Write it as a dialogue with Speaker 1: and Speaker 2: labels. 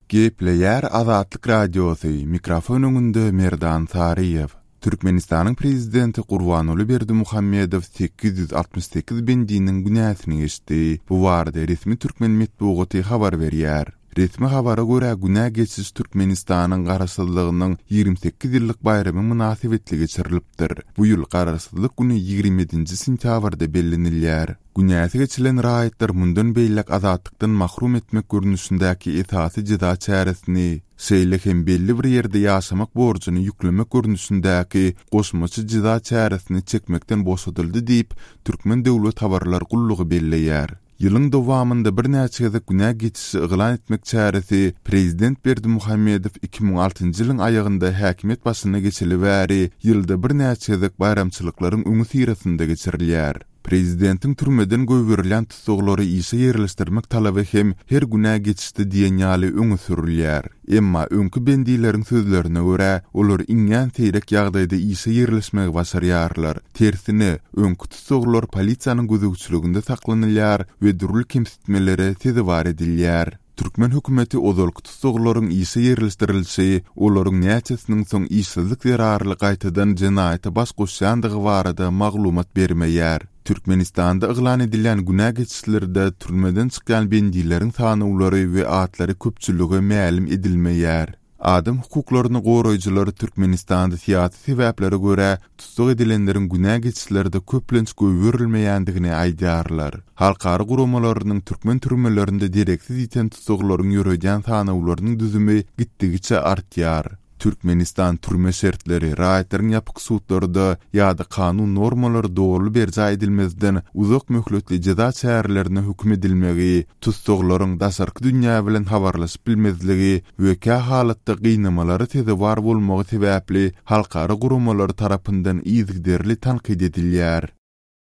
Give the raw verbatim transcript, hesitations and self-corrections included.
Speaker 1: Gepleýär Azatlyk Radiosy, mikrofon öňünde Merdan Saryýew. Türkmenistanyň Prezidenti Gurbanguly Berdimuhamedow sekiz ýüz altmyş sekiz bendiniň günäsini geçdi. Bu barada resmi türkmen metbugaty habar berýär. Resmi habara görä, günä geçiş Türkmenistanyň Garaşsyzlygynyň ýigrimi sekiz ýyllyk baýramy mynasybetli geçirilipdir. Bu ýyl Garaşsyzlyk güni ýigrimi ýedinji sentýabrda bellenilýär. Günäsi geçilen raýatlar mundan beýläk azatlykdan mahrum etmek görnüşindäki esasy jeza çäresini, şeýle hem belli bir ýerde ýaşamak borjuny ýüklemek görnüşindäki goşmaça jeza çäresini çekmekden boşadyldy diýip, Türkmen döwlet habarlar gullugy belleýär. Ýylyň dowamynda birnäçe gezek günä geçişi yglan etmek çäresi prezident Berdimuhamedow iki müň altynjy ýylyň aýagynda häkimiýet başyna geçeli bäri ýylda birnäçe gezek baýramçylyklaryň öňüsyrasynda geçirilýär. Prezidentiň türmeden goýberilýän tussaglary işe ýerleşdirmek talaby hem her günä geçişde diýen ýaly öňe sürülýär. Emma öňki bendileriň sözlerine görä, olar iňňän seýrek ýagdaýda işe ýerleşmegi başarýarlar. Tersine, öňki tussaglar polisiýanyň gözegçiliginde saklanylýar we dürli kemsitmelere sezewar edilýär. Türkmen hökümeti ozalky tussaglaryň işe ýerleşdirilişi, olaryň näçesiniň soň işsizlik zerarly gaýtadan jenaýata baş goşýandygy barada maglumat bermeýär. Türkmenistanda yglan edilýän günä geçişlerde türmeden çykýan bendileriň sanawlary we atlary köpçülige mälim edilmeýär. Adam hukuklaryny goraýjylar Türkmenistanda syýasy sebäplere görä tussag edilenleriň günä geçişlerde köplenç goýberilmeýändigini aýdýarlar. Halkara guramalarynyň türkmen türmelerinde dereksiz ýiten tussaglaryň ýöredýän sanawlarynyň düzümi gitdigiçe artýar. Türkmenistan türme şertleri, raýatlaryň ýapyk sudlarda ýa-da kanun normalary dogry berjaý edilmezden uzak möhletli jeza çärelerine höküm edilmegi, tussaglaryň daşarky dünýä bilen habarlaşyp bilmezligi we kä halatda gynamalara sezewar bolmagy sebäpli halkara guramalary tarapyndan yzygiderli tankyt edilýär.